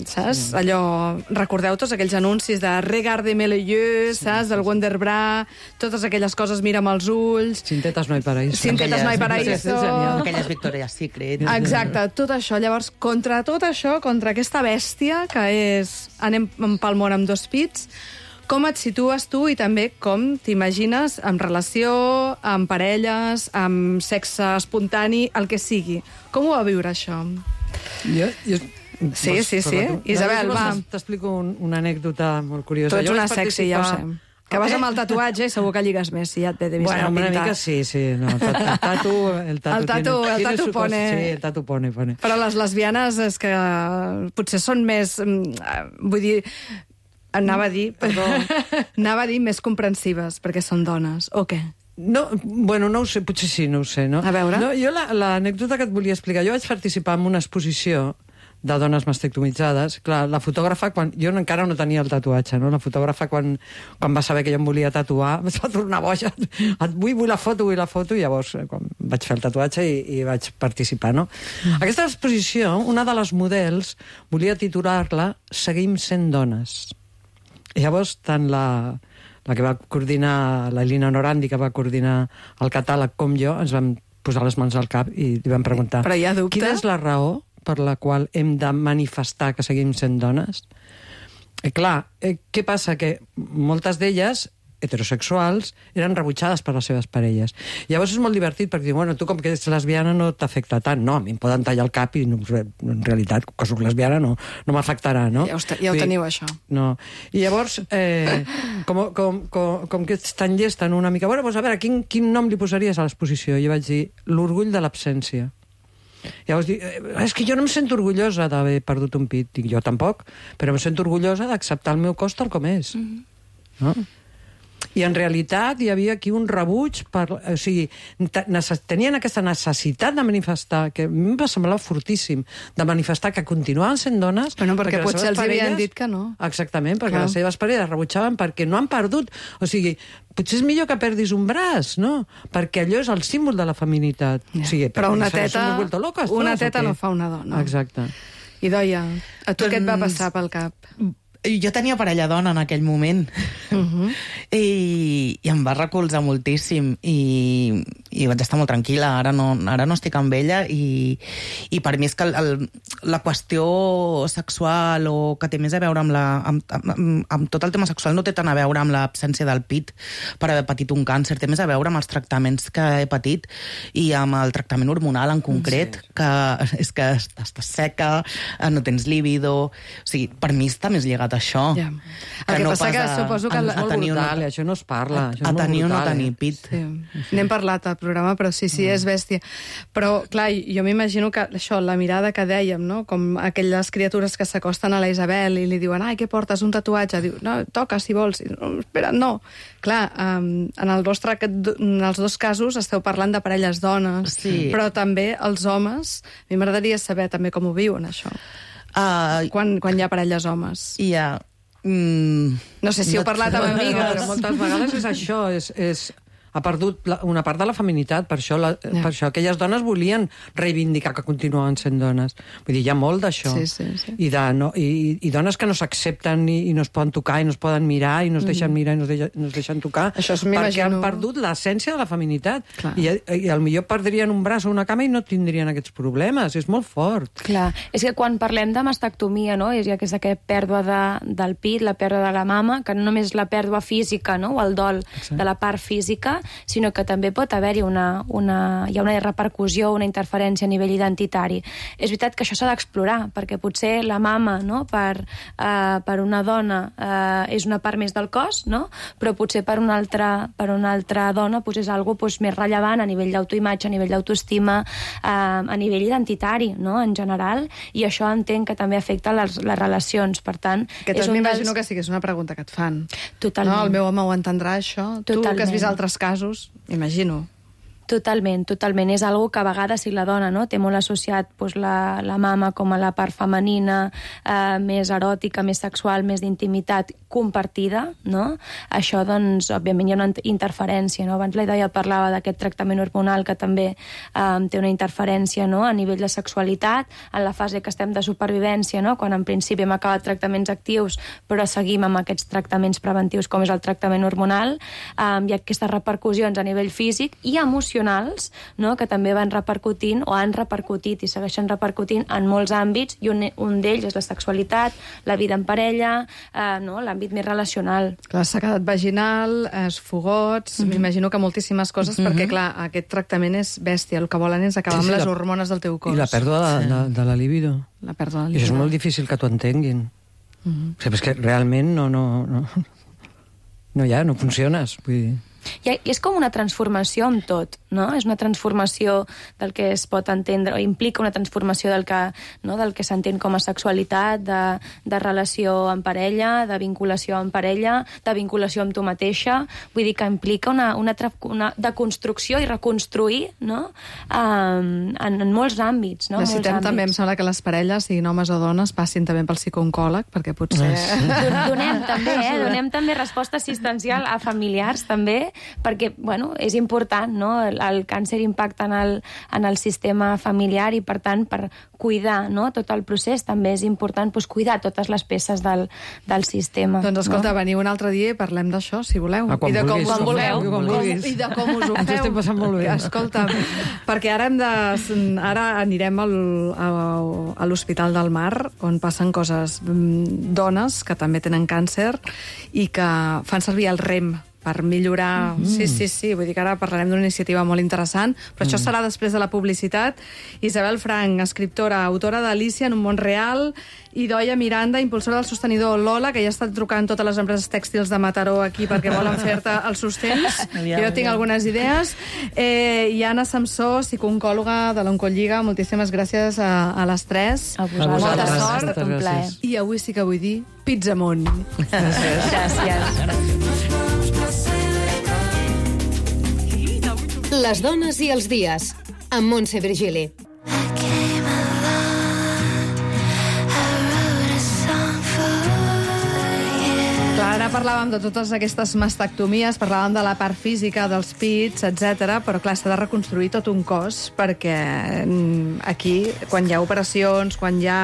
saps? Allò, recordeu tots aquells anuncis de Regardez-moi les yeux, saps? Del Wonderbra, totes aquelles coses, mira'm els ulls. Sin tetas no hay paraíso. Sin tetas no hay paraíso. Aquelles Victoria's Secret. Exacte, tot això. Llavors, contra tot això, contra aquesta bèstia que és anem pel món amb 2 pits, com et situes tu i també com t'imagines en relació, amb parelles, amb sexe espontani, el que sigui? Com ho va viure, això? Sí. Isabel, va. T'explico una anècdota molt curiosa. Tu ets una sexy, ja ho sé. Que vas amb el tatuatge i segur que lligues més, si ja et ve de vist. Bueno, una mica sí. No, el tatu pone. Sí, el tatu pone. Però les lesbianes és que potser són més... Vull dir... Anava a dir més comprensives, perquè són dones, o què? No, bueno, no ho sé, potser sí, no ho sé, no? A veure. No, jo l'anècdota que et volia explicar, jo vaig participar en una exposició de dones mastectomitzades. Clar, la fotògrafa, jo encara no tenia el tatuatge, no? La fotògrafa, quan va saber que jo em volia tatuar, es va tornar boja. Vull la foto, i llavors quan vaig fer el tatuatge i vaig participar, no? Aquesta exposició, una de les models volia titular-la Seguim sent dones. I llavors, tant la que va coordinar, la Elina Norandi, que va coordinar el catàleg, com jo, ens vam posar les mans al cap i li vam preguntar: però hi ha dubte? Quina és la raó per la qual hem de manifestar que seguim sent dones? Clar, què passa? Que moltes d'elles, heterosexuals, eren rebutjades per les seves parelles. Llavors és molt divertit, perquè bueno, tu com que ets lesbiana no t'afecta tant. No, a mi em poden tallar el cap i no, en realitat, que soc lesbiana, no m'afectarà, no? Ja ho teniu, això. No. I llavors, com que ets tan llest, una mica... Bueno, doncs a veure, quin nom li posaries a l'exposició? Jo vaig dir, l'orgull de l'absència. Llavors dic, és que jo no em sento orgullosa d'haver perdut un pit. Dic, jo tampoc, però em sento orgullosa d'acceptar el meu cos tal com és. No? I en realitat hi havia aquí un rebuig, o sigui, tenien aquesta necessitat de manifestar, que a mi em va semblar fortíssim, de manifestar que continuaven sent dones... Bueno, perquè potser els havien dit que no. Exactament, perquè les seves parelles rebutjaven perquè no han perdut... O sigui, potser és millor que perdis un braç, no? Perquè allò és el símbol de la feminitat. Ja. O sigui, però una teta no fa una dona. Exacte. Idoia, a tu què et va passar pel cap? Jo tenia parella dona en aquell moment i em va recolzar moltíssim i vaig estar molt tranquil·la. Ara no estic amb ella i per mi és que la qüestió sexual o que té més a veure amb tot el tema sexual no té tant a veure amb l'absència del pit per haver patit un càncer, té més a veure amb els tractaments que he patit i amb el tractament hormonal en concret, que és que estàs seca, no tens líbido, o sigui, per mi està més lligat a això. Ja. El que passa que suposo que... És molt brutal, això no es parla. A tenir o no tenir pit. Sí. N'hem parlat al programa, però sí, és bèstia. Però, clar, jo m'imagino que això, la mirada que dèiem, no? Com aquelles criatures que s'acosten a la Isabel i li diuen, ai, què portes, un tatuatge? Diu, no, toca, si vols. No, espera, no. Clar, en els 2 casos esteu parlant de parelles dones, però també els homes. A mi m'agradaria saber també com ho viuen, això. Quan hi ha parelles homes. No sé si heu parlat amb amigues. Però moltes vegades és això, ha perdut una part de la feminitat, per això aquelles dones volien reivindicar que continuaven sent dones. Vull dir, hi ha molt d'això. Sí. I dones que no s'accepten i no es poden tocar i no es poden mirar i no es deixen mirar i no es deixen tocar, perquè han perdut l'essència de la feminitat. I potser perdrien un braç o una cama i no tindrien aquests problemes. És molt fort. Clar, és que quan parlem de mastectomia, no? És aquesta pèrdua del pit, la pèrdua de la mama, que no només la pèrdua física, no? O el dol de la part física, sinó que també pot haver-hi hi ha una repercussió, una interferència a nivell identitari. És veritat que això s'ha d'explorar, perquè potser la mama, no, per una dona és una part més del cos, no? Però potser per una altra dona és algo més rellevant a nivell d'autoimatge, a nivell d'autoestima, a nivell identitari, no? En general, i això entenc que també afecta les relacions. Per tant, m'imagino que sí que és una pregunta que et fan. Totalment. No? El meu home ho entendrà, això. Tu, que has vist altres casos, casos, imagino. Totalment, totalment. És algo que a vegades, si la dona no, té molt associat doncs, la mama com a la part femenina, més eròtica, més sexual, més d'intimitat compartida, no? Això, doncs, òbviament hi ha una interferència, no? Abans la Idoia parlava d'aquest tractament hormonal que també té una interferència, no? A nivell de sexualitat, en la fase que estem de supervivència, no? Quan en principi hem acabat tractaments actius, però seguim amb aquests tractaments preventius com és el tractament hormonal, hi ha aquestes repercussions a nivell físic i emocional, no? Que també van repercutint o han repercutit i segueixen repercutint en molts àmbits, i un d'ells és la sexualitat, la vida en parella, no? L'àmbit més relacional. Clar, sequedat vaginal, fogots, m'imagino que moltíssimes coses, perquè, clar, aquest tractament és bèstia. El que volen és acabar amb les hormones del teu cos. I la pèrdua de la libido. La pèrdua de la I això libido. és molt difícil que t'ho entenguin. O sigui, és que realment no funciones. Vull dir... I és com una transformació amb tot, no? És una transformació del que es pot entendre, o implica una transformació del que s'entén com a sexualitat, de relació en parella, de vinculació en parella, de vinculació amb tu mateixa. Vull dir que implica una deconstrucció i reconstruir, no? En molts àmbits, no? Necessitem també, em sembla, que les parelles, siguin homes o dones, passin també pel psicooncòleg, perquè potser... Donem també resposta assistencial a familiars, també, perquè, bueno, és important, no? El càncer impacta en el sistema familiar i, per tant, per cuidar, no? Tot el procés també és important, doncs, cuidar totes les peces del sistema. Doncs escolta, veniu un altre dia i parlem d'això, si voleu. Quan I de com vulguis. I de com us ho feu. Ens ho estem passant molt bé. Escolta, perquè ara anirem a l'Hospital del Mar, on passen coses, dones que també tenen càncer i que fan servir el REM per millorar... Sí, vull dir que ara parlarem d'una iniciativa molt interessant, però això serà després de la publicitat. Isabel Frank, escriptora, autora d'Alicia en un món real, i Idoia Miranda, impulsora del sostenidor Lola, que ja està trucant totes les empreses tèxtils de Mataró aquí perquè volen fer-te els sostens. Jo tinc algunes idees. I Anna Samsó, psicooncòloga de l'Oncolliga, moltíssimes gràcies a les tres. A vosaltres. Molta Ha sort. estat un plaer. I avui sí que vull dir pizza amunt. Gràcies. Les dones i els dies, amb Montse Virgili. Clar, ara parlàvem de totes aquestes mastectomies, parlàvem de la part física, dels pits, etc. Però clar, s'ha de reconstruir tot un cos, perquè aquí, quan hi ha operacions, quan hi ha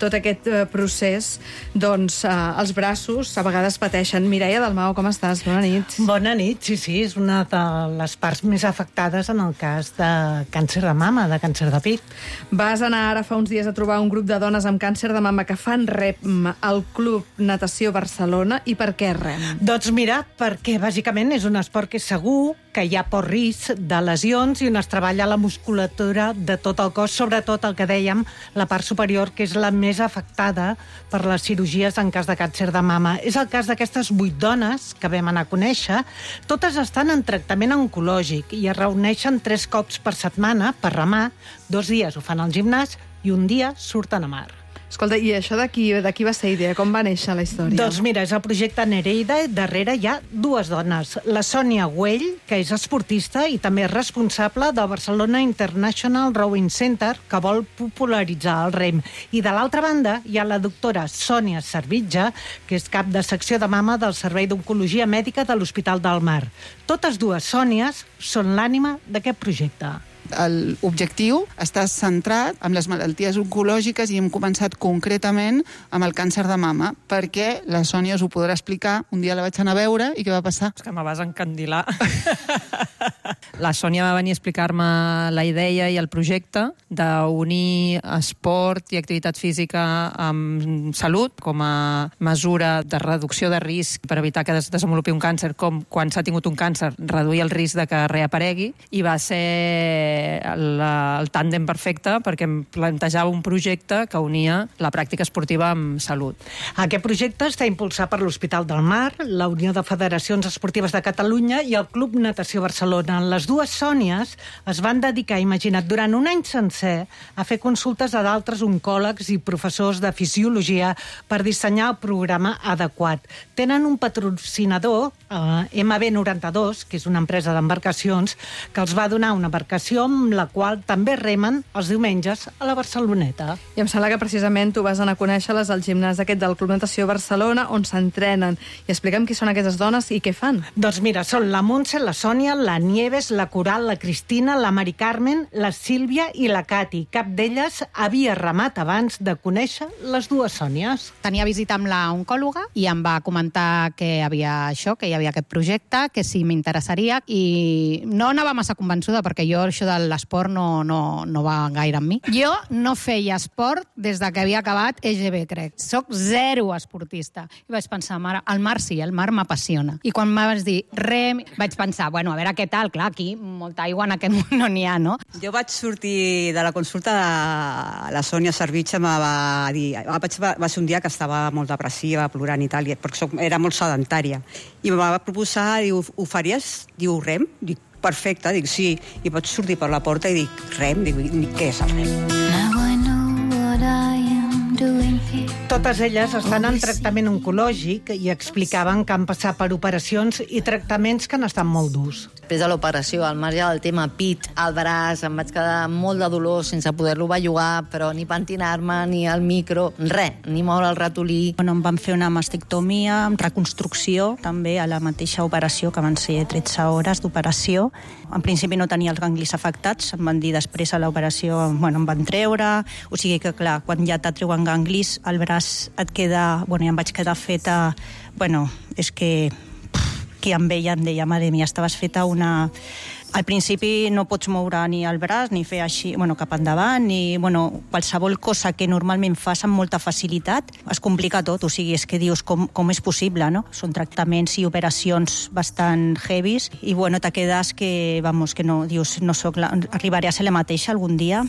tot aquest procés, doncs els braços a vegades pateixen. Mireia Dalmau, com estàs? Bona nit. Bona nit, sí, és una de les parts més afectades en el cas de càncer de mama, de càncer de pit. Vas anar ara fa uns dies a trobar un grup de dones amb càncer de mama que fan rem al Club Natació Barcelona. I per què rem? Doncs mira, perquè bàsicament és un esport que és segur, que hi ha poc risc de lesions i on es treballa la musculatura de tot el cos, sobretot el que dèiem, la part superior, que és la més afectada per les cirurgies en cas de càncer de mama. És el cas d'aquestes 8 dones que vam anar a conèixer. Totes estan en tractament oncològic i es reuneixen 3 cops per setmana per remar. 2 dies ho fan al gimnàs i un dia surten a mar. Escolta, i això d'aquí va ser idea? Com va néixer la història? Doncs mira, és el projecte Nereida. Darrere hi ha 2 dones. La Sònia Güell, que és esportista i també és responsable del Barcelona International Rowing Center, que vol popularitzar el rem. I de l'altra banda hi ha la doctora Sònia Servitja, que és cap de secció de mama del Servei d'Oncologia Mèdica de l'Hospital del Mar. Totes 2 Sònies són l'ànima d'aquest projecte. L'objectiu està centrat en les malalties oncològiques i hem començat concretament amb el càncer de mama, perquè la Sònia us ho podrà explicar. Un dia la vaig anar a veure i què va passar? És que me vas encandilar. La Sònia va venir a explicar-me la idea i el projecte d'unir esport i activitat física amb salut com a mesura de reducció de risc per evitar que es desenvolupi un càncer, com quan s'ha tingut un càncer, reduir el risc de que reaparegui, i va ser ser el tàndem perfecte, perquè em plantejava un projecte que unia la pràctica esportiva amb salut. Aquest projecte està impulsat per l'Hospital del Mar, la Unió de Federacions Esportives de Catalunya i el Club Natació Barcelona. Les dues Sònies es van dedicar, imagina't, durant un any sencer a fer consultes a d'altres oncòlegs i professors de fisiologia per dissenyar el programa adequat. Tenen un patrocinador, MB92, que és una empresa d'embarcacions, que els va donar una embarcació amb la qual també remen els diumenges a la Barceloneta. I em sembla que precisament tu vas anar a conèixer-les al gimnàs aquest del Club Natació Barcelona, on s'entrenen. I explica'm qui són aquestes dones i què fan. Doncs mira, són la Montse, la Sònia, la Nieves, la Coral, la Cristina, la Mari Carmen, la Sílvia i la Cati. Cap d'elles havia remat abans de conèixer les dues Sònies. Tenia visita amb la oncòloga i em va comentar que hi havia aquest projecte, que si m'interessaria, i no anava massa convençuda, perquè jo això de l'esport no va gaire amb mi. Jo no feia esport des de que havia acabat EGB, crec. Soc zero esportista. I vaig pensar, el mar sí, el mar m'apassiona. I quan vas dir rem, vaig pensar, bueno, a veure què tal, clar, aquí molta aigua en aquest món no n'hi ha, no? Jo vaig sortir de la consulta de la Sònia Servitxa, va dir, va ser un dia que estava molt depressiva, plorant i tal, perquè era molt sedentària. I em va proposar, diu, ho faries? Diu, rem? Dic, perfecte, dic, sí. I vaig sortir per la porta i dic, rem? Dic, què és el rem? Now I know what I am doing here. Totes elles estan en tractament oncològic i explicaven que han passat per operacions i tractaments que han estat molt durs. Després de l'operació, al marge del tema pit, al braç, em vaig quedar amb molt de dolor sense poder-lo bellugar, però ni pentinar-me, ni el micro, res, ni moure el ratolí. Bueno, em van fer una mastectomia amb reconstrucció, també a la mateixa operació, que van ser 13 hores d'operació. En principi no tenia els ganglis afectats, em van dir després a l'operació, bueno, em van treure, o sigui que clar, quan ja t'atreuen ganglis, el braç et queda, bueno, ja em vaig quedar feta, bueno, és que qui em veia em deia, mare mia, estaves feta una... Al principi no pots moure ni el braç, ni fer així, bueno, cap endavant, ni, bueno, qualsevol cosa que normalment fas amb molta facilitat, es complica tot, o sigui, és que dius, com és possible, no? Són tractaments i operacions bastant heavies, i bueno, te quedes que, vamos, que no, dius, no soc arribaré a ser la mateixa algun dia.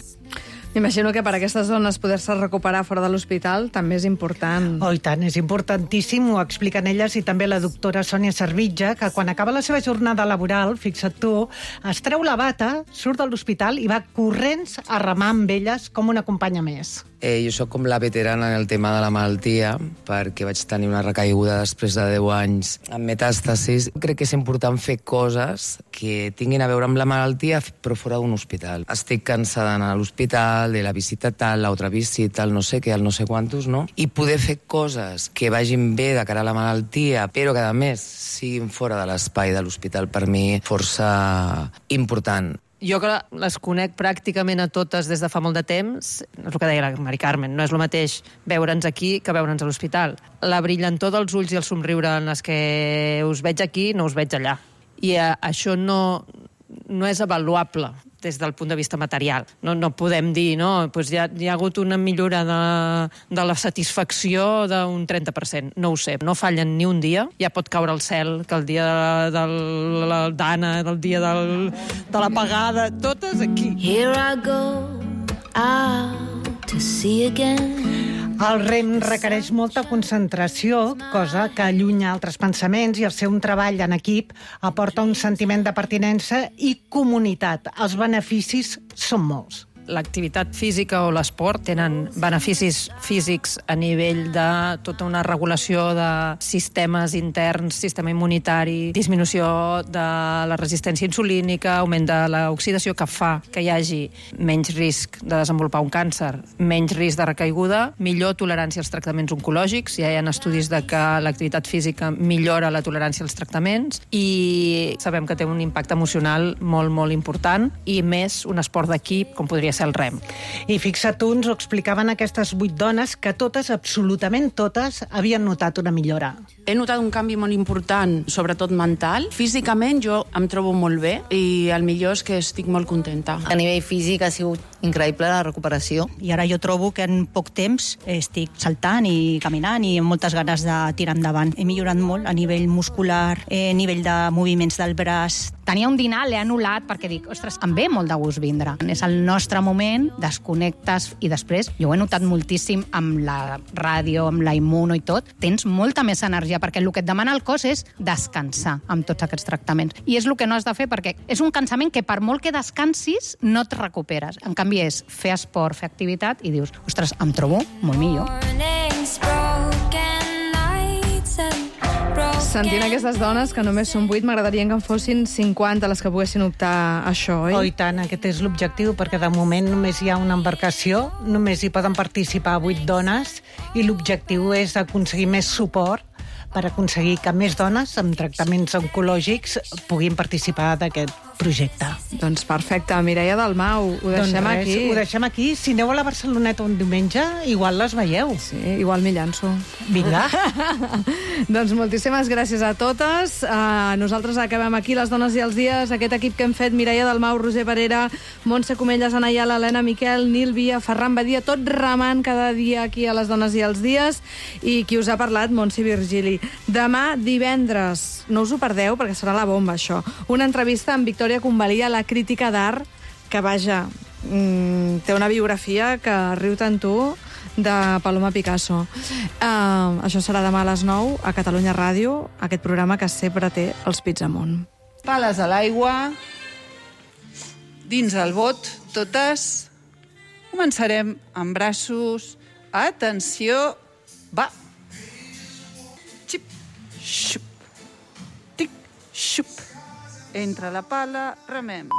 M'imagino que per a aquestes dones poder-se recuperar fora de l'hospital també és important. Oh, i tant, és importantíssim, ho expliquen elles i també la doctora Sònia Servitja, que quan acaba la seva jornada laboral, fixa't tu, es treu la bata, surt de l'hospital i va corrents a remar amb elles com una companya més. Jo sóc com la veterana en el tema de la malaltia, perquè vaig tenir una recaiguda després de 10 anys amb metàstasis. Crec que és important fer coses que tinguin a veure amb la malaltia, però fora d'un hospital. Estic cansada d'anar a l'hospital, de la visita tal, l'altra visita, el no sé què, el no sé quantos, no? I poder fer coses que vagin bé de cara a la malaltia, però que a més siguin fora de l'espai de l'hospital, per mi força important. Jo que les conec pràcticament a totes des de fa molt de temps, és el que deia la Mari Carmen, no és el mateix veure'ns aquí que veure'ns a l'hospital. La brillantor dels ulls i el somriure en les que us veig aquí no us veig allà. I això no és avaluable des del punt de vista material. No podem dir, no, doncs hi ha hagut una millora de la satisfacció d'un 30%. No ho sé, no fallen ni un dia. Ja pot caure el cel, que el dia de l'Anna, el dia de l'apagada, totes aquí. Here I go out to see again. El rem requereix molta concentració, cosa que allunya altres pensaments, i el seu treball en equip aporta un sentiment de pertinença i comunitat. Els beneficis són molts. L'activitat física o l'esport tenen beneficis físics a nivell de tota una regulació de sistemes interns, sistema immunitari, disminució de la resistència insulínica, augment de l'oxidació, que fa que hi hagi menys risc de desenvolupar un càncer, menys risc de recaiguda, millor tolerància als tractaments oncològics. Ja hi ha estudis de que l'activitat física millora la tolerància als tractaments, i sabem que té un impacte emocional molt, molt important, i més un esport d'equip, com podria ser el rem. I fixa't, uns ho explicaven aquestes 8 dones, que totes, absolutament totes, havien notat una millora. He notat un canvi molt important, sobretot mental. Físicament jo em trobo molt bé i el millor és que estic molt contenta. A nivell físic ha sigut increïble la recuperació. I ara jo trobo que en poc temps estic saltant i caminant i amb moltes ganes de tirar endavant. He millorat molt a nivell muscular, a nivell de moviments del braç. Tenia un dinar, l'he anul·lat perquè dic, ostres, em ve molt de gust vindre. És el nostre moment, desconnectes i després, jo ho he notat moltíssim amb la ràdio, amb la immuno i tot, tens molta més energia perquè el que et demana el cos és descansar amb tots aquests tractaments. I és el que no has de fer perquè és un cansament que per molt que descansis no et recuperes. En canvi és fer esport, fer activitat i dius, ostres, em trobo molt millor. Sentint aquestes dones, que només són 8, m'agradaria que en fossin 50 les que poguessin optar a això, oi? Oh, i tant, aquest és l'objectiu, perquè de moment només hi ha una embarcació, només hi poden participar 8 dones, i l'objectiu és aconseguir més suport per aconseguir que més dones amb tractaments oncològics puguin participar d'aquest projecte. Doncs perfecte. Mireia Dalmau, ho deixem aquí. Ho deixem aquí. Si aneu a la Barceloneta un diumenge, igual les veieu. Sí, igual m'hi llanço. Vinga. Doncs moltíssimes gràcies a totes. Nosaltres acabem aquí, Les dones i els dies. Aquest equip que hem fet, Mireia Dalmau, Roser Parera, Montse Comelles, Ana Ayala, Helena Miquel, Nil Via, Ferran Badia, tot remant cada dia aquí a Les dones i els dies. I qui us ha parlat, Montse Virgili. Demà, divendres, no us ho perdeu, perquè serà la bomba, això. Una entrevista amb Victòria Convalia, la crítica d'art, que, vaja, té una biografia que riu tant tu, de Paloma Picasso. Això serà demà a les 9 a Catalunya Ràdio, aquest programa que sempre té els pits amunt. Pales a l'aigua, dins el bot, totes. Començarem amb braços. Atenció, va. Xip, xup, tic, xup. Entre la pala, remem.